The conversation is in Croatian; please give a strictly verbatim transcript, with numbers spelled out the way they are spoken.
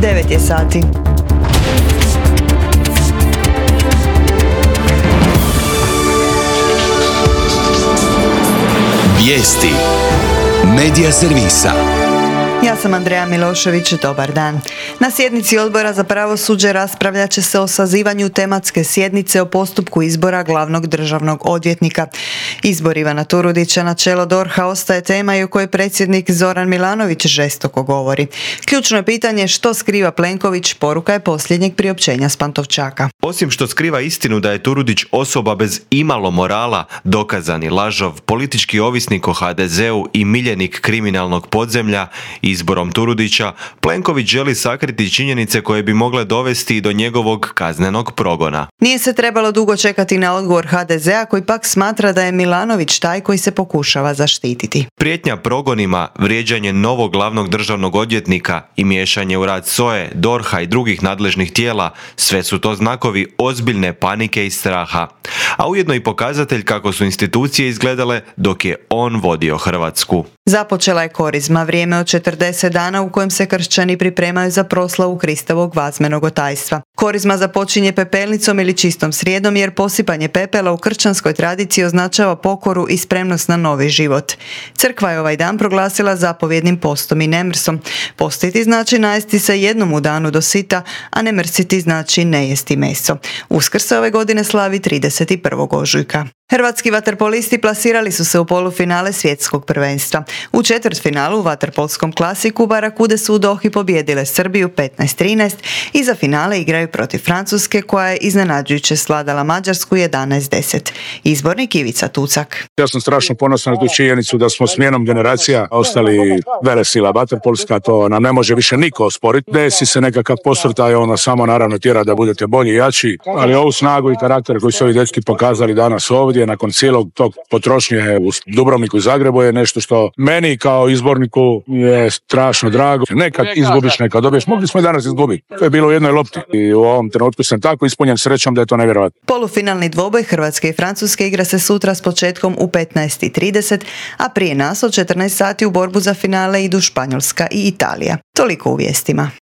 devet je sati. Vijesti Medija servisa. Ja sam Andreja Milošević, dobar dan. Na sjednici Odbora za pravosuđe raspravljat će se o sazivanju tematske sjednice o postupku izbora glavnog državnog odvjetnika. Izbor Ivana Turudića na čelo D O R H-a ostaje tema i o kojoj predsjednik Zoran Milanović žestoko govori. Ključno je pitanje što skriva Plenković, poruka je posljednjeg priopćenja s Pantovčaka. Osim što skriva istinu da je Turudić osoba bez imalo morala, dokazani lažov, politički ovisnik o ha de zeu i miljenik kriminalnog podzemlja, izborom Turudića, Plenković želi sakriti činjenice koje bi mogle dovesti do njegovog kaznenog progona. Nije se trebalo dugo čekati na odgovor ha de zea koji pak smatra da je Milanović taj koji se pokušava zaštititi. Prijetnja progonima, vrijeđanje novog glavnog državnog odvjetnika i miješanje u rad S O E, D O R H-a i drugih nadležnih tijela, sve su to znakovi ozbiljne panike i straha. A ujedno i pokazatelj kako su institucije izgledale dok je on vodio Hrvatsku. Započela je korizma, vrijeme od četrdeset dana u kojem se kršćani pripremaju za proslavu Kristovog vazmenog otajstva. Korizma započinje pepelnicom ili čistom srijedom jer posipanje pepela u kršćanskoj tradiciji označava pokoru i spremnost na novi život. Crkva je ovaj dan proglasila zapovjednim postom i nemrsom. Postiti znači najesti se jednom u danu do sita, a ne mrsiti znači ne jesti meso. Uskrs se ove godine slavi trideset prvog ožujka. Hrvatski vaterpolisti plasirali su se u polufinale svjetskog prvenstva. U četvrtfinalu u vaterpolskom klasiku Barakude su u Dohi pobijedile Srbiju petnaest trinaest i za finale igraju protiv Francuske koja je iznenađujuće sladala Mađarsku jedanaest deset. Izbornik Ivica Tucak. Ja sam strašno ponosan na tu činjenicu da smo smjenom generacija ostali velesila vaterpolska, to nam ne može više niko osporiti. Desi se nekakav posvrtaj, ona samo naravno tjera da budete bolji i jači, ali ovu snagu i karakter koji su ovi dečki pokazali danas ovdje nakon cijelog tog potrošnje u Dubrovniku i Zagrebu je nešto što meni kao izborniku je strašno drago. Nekad izgubiš, nekad dobiješ. Mogli smo i danas izgubiti. To je bilo u jednoj lopti i u ovom trenutku sam tako ispunjen srećom da je to nevjerojatno. Polufinalni dvoboj Hrvatske i Francuske igra se sutra s početkom u petnaest trideset, a prije nas od četrnaest sati u borbu za finale idu Španjolska i Italija. Toliko u vijestima.